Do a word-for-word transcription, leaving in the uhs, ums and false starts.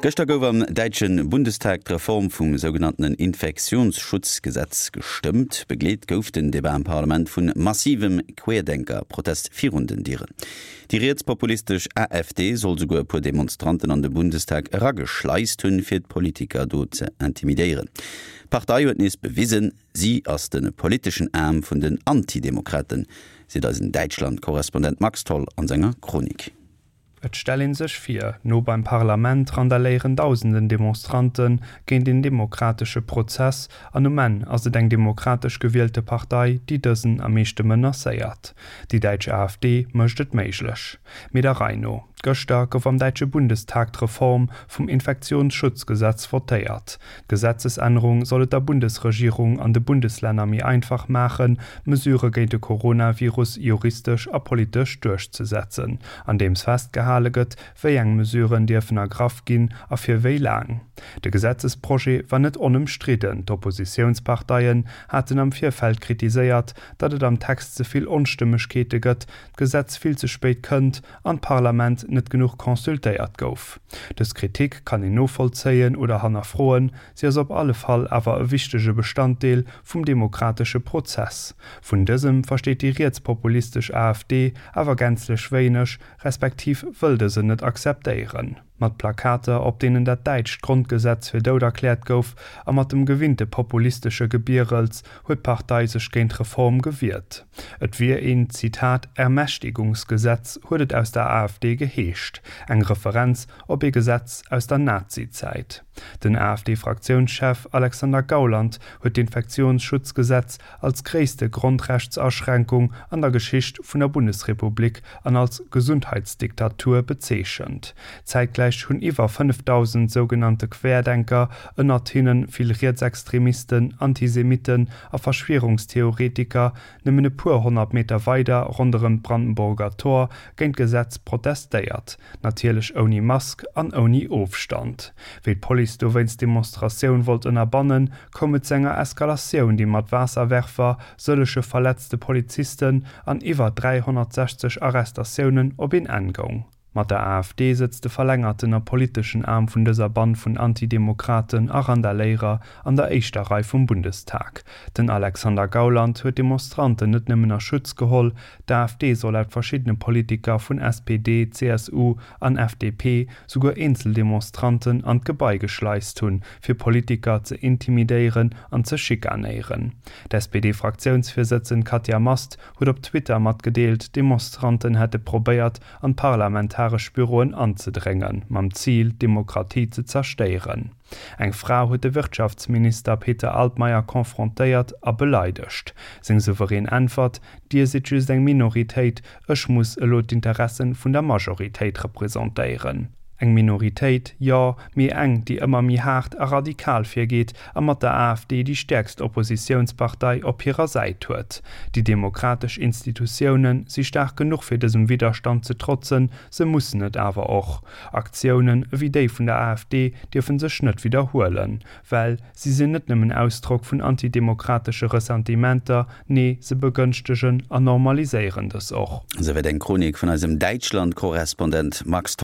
Gëschter gouf am däitsche Bundestag d'Reform vum sougenannten Infektionsschutzgesetz gestëmmt. Begleet gouf den Debat am Parlament vu massivem Querdenker-Protest virun den Dieren. Déi rietspopulistesch A F D soll souguer e puer Demonstranten an de Bundestag erageschleist hunn, fir d'Politiker do ze intimidéieren. D'Partei huet nees bewisen, si ass de politeschen Aarm vun den Antidemokraten, seet eisen Däitschland-Korrespondent Max Tholl an senger Chronik. Et stellt een sech vir, no beim Parlament randaléieren dausenden Demonstranten géint den demokratesche Prozess an um Enn ass et eng demokratesch gewielte Partei, déi dësen am meeschte menacéiert. Déi däitsch A F D mécht et méiglech. Mee der Rei no. Gëschter gouf am däitsche Bundestag d'Reform vum Infektionsschutzgesetz votéiert. D'Gesetzesännerung soll et der Bundesregierung an de Bundeslänner méi einfach maachen, Mesure géint de Coronavirus juristesch a politesch duerchzesetzen, andeems festgehale gëtt, wéi eng Mesuren dierfen ergraff ginn a fir wéi laang. De Gesetzesprojet war net onëmstridden. D'Oppositiounsparteien haten am Virfeld kritiséiert, datt et am Text ze vill Onstëmmegkeete gëtt, d'Gesetz vill ze spéit kënnt an d'Parlament net genuch consultéiert gouf. Dës Kritik kann een novollzéien oder hannerfroen, si ass op alle Fall awer e wichtege Bestanddeel vum demokratesche Prozess. Vun dësem versteet déi rietspopulistesch A F D awer gänzlech wéineg, respektiv wëll dësen net akzeptéieren. Mat Plakater, op deenen dat däitscht Grondgesetz fir dout erkläert gouf, a mat dem gewinnte populistesche Gebierels huet d'Partei sech géint d'Reform gewiert. Et wier een Zitat Ermächtigungsgesetz, huet et aus der A F D geheescht, eng Referenz op ee Gesetz aus der Nazizäit. Den A F D-Fraktiounschef Alexander Gauland huet d'Infektiounsschutzgesetz als gréisste Grondrechtsaschränkung an der Geschicht vun der Bundesrepublik an als Gesundheitsdiktatur bezeechent. Zäitgläich hunn iwwer fënnefdausend sougenannte Querdenker, ënnert hinne vill Rietsextremisten, Antisemitten a Verschwierungstheoretiker, nëmmen e puer honnert Meter weider ronderëm d'Brandenburger Tor géint d'Gesetz protestéiert, natierlech ouni Mask an ouni Ofstand. Wéi d'Police dowéinst d'Demonstratioun wollt ënnerbannen, koum et zu enger Eskalatioun, déi mat Waasserwerfer, sëllege verletzte Polizisten an iwwer dräihonnertsechzeg Arrestatiounen op een Enn goung. Mat der A F D sëtzt de verlängerten a politeschen Aarm vun dëser Band vun Antidemokraten a Randaléierer an der éischter Rei vum Bundestag. Den Alexander Gauland huet d'Demonstranten net nëmmen a Schutz geholl, d'A F D soll laut verschiddene Politiker vun S P D, C S U an F D P souguer eenzel Demonstranten an d'Gebai geschleist hunn, fir Politiker ze intimidéieren an ze schikanéieren. D'S P D-Fraktiounsvirsëtzend Katja Mast huet op Twitter matgedeelt, Demonstranten hätte probéiert, an parlamentaresch Büroen anzedréngen, mam Zil, d'Demokratie ze zerstéieren. Eng Fra huet de Wirtschaftsminister Peter Altmaier konfrontéiert a beleidegt. Seng souverän Äntwert: Dir sidd just eng Minoritéit, ech muss elo d'Interesse vun der Majoritéit representéieren. Eng Minoritéit, jo, mee eng, déi ëmmer méi haart a radikal virgeet a mat der A F D déi stäerkst Oppositiounspartei op hirer Säit huet. Déi demokratesch Institutioune si staark genuch fir dësem Widderstand ze trotzen, se mussen et awer och. Aktiounen ewéi déi vun der A F D dierfe sech net widderhuelen, well si sinn net nëmmen Ausdrock vun antidemokratesche Ressentimenter, nee, se begënschtegen an normaliséieren dës och. Souwäit eng Chronik vun eisem Däitschland-Korrespondent Max.